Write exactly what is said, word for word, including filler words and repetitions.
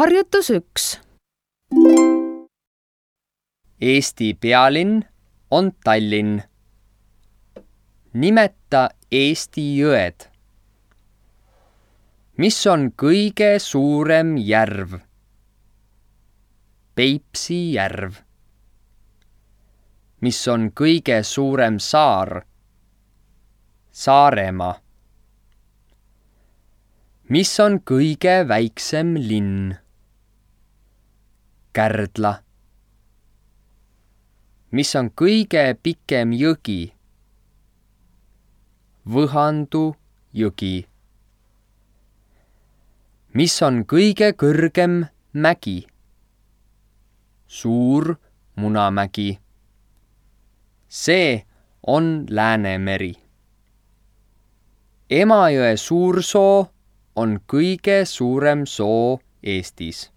Harjutus üks. Eesti pealinn on Tallinn. Nimeta Eesti jõed. Mis on kõige suurem järv? Peipsi järv. Mis on kõige suurem saar? Saaremaa. Mis on kõige väiksem linn? Kärdla. Mis on kõige pikem jõgi? Võhandu jõgi. Mis on kõige kõrgem mägi? Suur Munamägi. See on Läänemeri. Emajõe suursoo on kõige suurem soo Eestis.